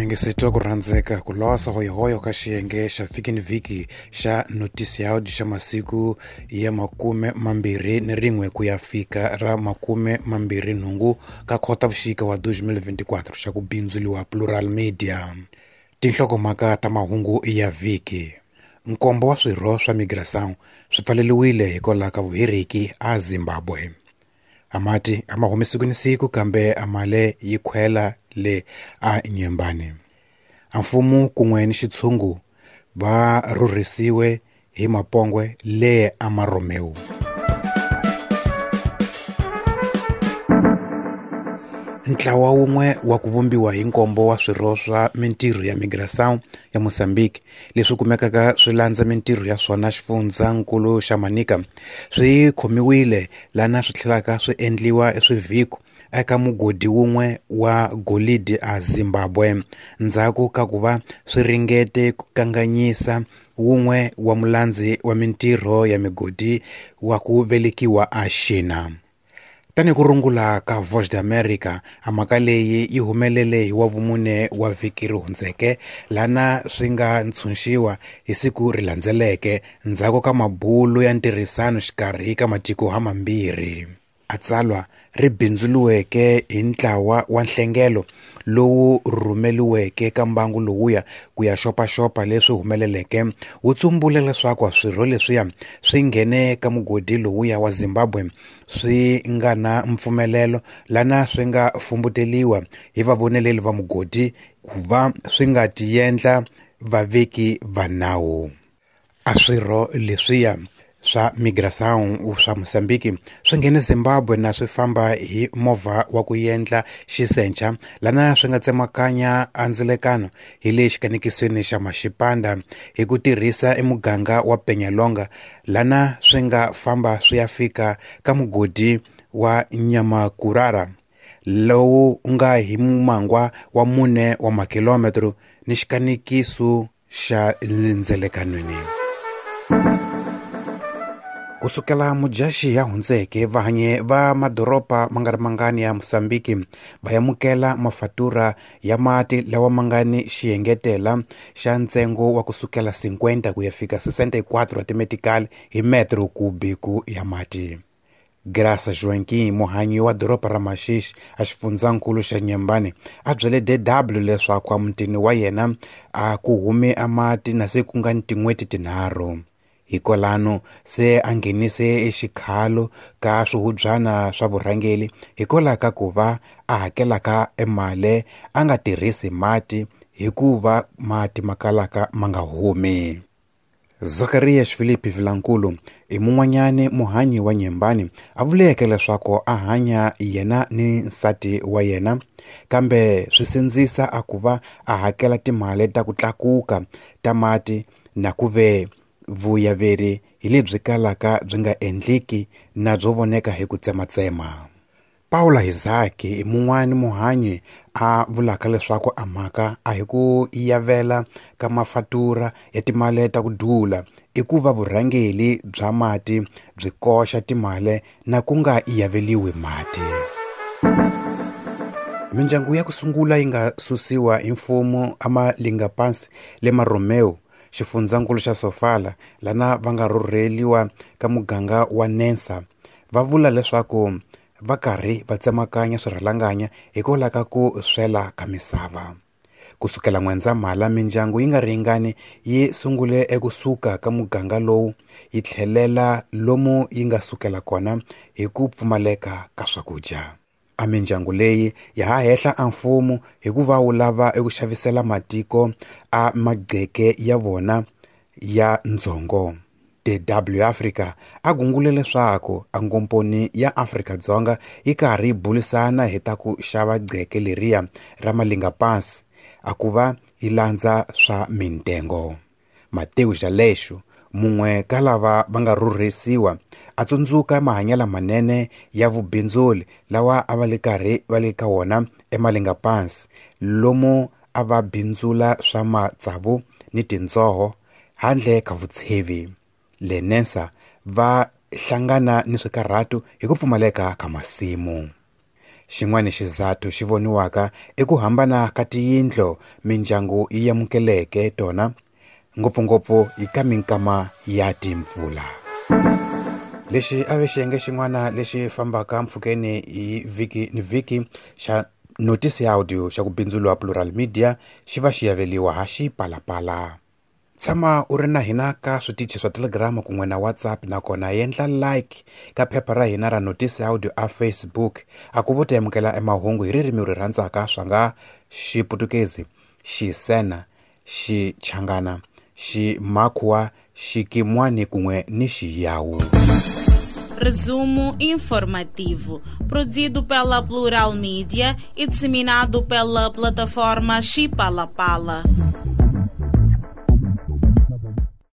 Muyingiseti wa ku rhandzeka ku losa hoyohoyo ka xiyenge xa vhiki ni vhiki xa notisiaudi xa masiku ya 21 ku ya fika ra 28 ka Khotavuxika wa 2024 xa ku bindzuliwa Plural Media. Tinhlokomhaka ta mahungu ya vhiki. Nkombo wa swirho swa Migração swi pfaleriwile hikwalaho ka vuheriki a Zimbabwe. A mati a ma humi siku ni siku kambe a male yi khwela le a Nyembani. A mfumo kun'we ni xitshungu va rhurhisiwe hi mapongwe le a Maromeu. Ntlawa wun'we wa ku vumbiwa hi nkombo wa swirho swa mintirho ya Migração ya Mozambique leswi kumekaka swi landza mintirho ya swona xifundzankulu xa Manica swi khomiwile lana swi tlhelaka swi endliwa eswivhiko eka mugodi wun'we wa golidi a Zimbabwe ndzhaku ka ku va swi ringete ku kanganyisa wun'we wa mulandzi wa mintirho ya migodi wa ku velekiwa a Xina. Tanihi ku rungula ka Voz de America, a mhaka leyi yi humelele hi wavumune wa vhiki ri hundzeke lana swi nga ntshunxiwa hi siku ri landzeleke ndzhaku ka mabulo ya ntirhisano xikarhi ka matiko hamambirhi. A tsalwa ri bindzuriweke hi ntlawa wa nhlengelo lowu rhumeliweke ka mbangu lowuya ku ya xopaxopa leswi humeleleke wu tsumbule leswaku swirho leswiya swi nghene ka mugodi lowuya wa Zimbabwe swi nga na mpfumelelo lana swi nga fumbuteliwa hi vavoneleli va mugodi ku va swi nga tiendla vaveki va nawu. A swirho leswiya swa Migração swa Mozambique swi nghene Zimbabwe na swi famba hi movha wa ku endla xisencha lana swi nga tsemakanya andzilekano hi le xikanekisweni xa Maxipanda hi ku tirhisa emuganga wa Peñalonga lana swi nga famba swi ya fika ka mugodi wa Nyamakurara lowu nga hi mumangwa wa 4 wa makilometro ni xikanekiso xa lendzelekanweni. Kusukela Mujaxi ya hundzeke vahanyi va madoroba ma nga ri mangani ya Mozambique va amukela mafatura ya mati lawa ma nga ni xiengetela xa ntsengo wa kusukela 50 ku ya fika 64 wa timetikali hi metro kubiku ya mati. Graça Joaquim, muhanyi wa doroba ra Maxixi a xifundzankulu xa Nyembani, a byele DW leswaku emutini wa yena a ku humi a mati na se ku nga ni tin'hweti tinharhu. Hikwalano se a nghenise exikhalo ka swihubyana swa vurhangeri hikwalaho ka ku va a hakelaka emali a nga tirhisi mati hikuva mati ma kalaka ma nga humi. Zacharias Filipe Vilankulu i mun'wanyani muhanyi wa Nyembani a vuleke leswaku a hanya yena ni nsati wa yena kambe swi sindzisa a ku va a hakela timali ta ku tlakuka ta mati na ku ve vuyaveri hi lebyi kalaka byi nga endliki na byo voneka hi ku tsematsema. Paula Isaki i mun'wani muhanyi a vulaka leswaku a mhaka a hi ku yavela ka mafatura ya timali ta ku dula i ku va vurhangeri bya mati byi koxa timali na ku nga yaveliwi mati. Mindyangu ya ku sungula yi nga susiwa hi mfumo a Malingapansi le Maromeo xifundzankulu xa Sofala lana va nga rhurheliwa ka muganga wa Nensa va vula leswaku va karhi va tsemakanya swirhalanganya hikwalaho ka ku swela ka misava. Kusukela N'wendzamhala mindyangu yi nga ringani yi sungule ekusuka ka muganga lowu yi tlhelela lomu yi nga sukela kona hi ku pfumaleka ka swakudya. A mindyangu leyi ya ha hehla a mfumo hikuva wu lava eku xavisela matiko a magqeke ya vona ya ndzhongo. DW Africa a gungule leswaku a ngomponi ya Afrika-Dzonga yi karhi yi bulisana hi ta ku xava gqeke leriya ra Malingapansi a ku va yi landza swa mintengo. Mateu Jalexo mun'we ka lava va nga rhurhisiwa a tsundzuka mahanyelo manene ya vubindzuli lawa a va le karhi va le ka wona eMalingapansi lomu a va bindzula swa matsavu ni tindzoho handle ka vutshevi. Le Nensa va hlangana ni swikarhato hi ku pfumaleka ka masimu. Xin'wana xizathu xi voniwaka i ku hambana ka tiyindlo mindyangu yi amukeleke tona, ngopfungopfu eka minkama ya timpfula. Lexi a ve xiyenge xin'wana lexi fambaka mpfhukeni hi vhiki ni vhiki xa Notícia Áudio xa ku bindzuriwa Plural Media xi va xi yaveliwa ha Xipalapala. Tshama u ri na hina ka switichi swa Telegram kun'we na WhatsApp, nakona endla like ka phepha ra hina ra Notícia Áudio a Facebook. A ku vo ta amukela emahungu hi ririmi ri rhandzaka swa nga Xiputukezi, Xisena, Xichangana, Ximakhuwa, Xikimwani kun'we ni Xiyawu. Resumo informativo, produzido pela Plural Mídia e disseminado pela plataforma Xipalapala.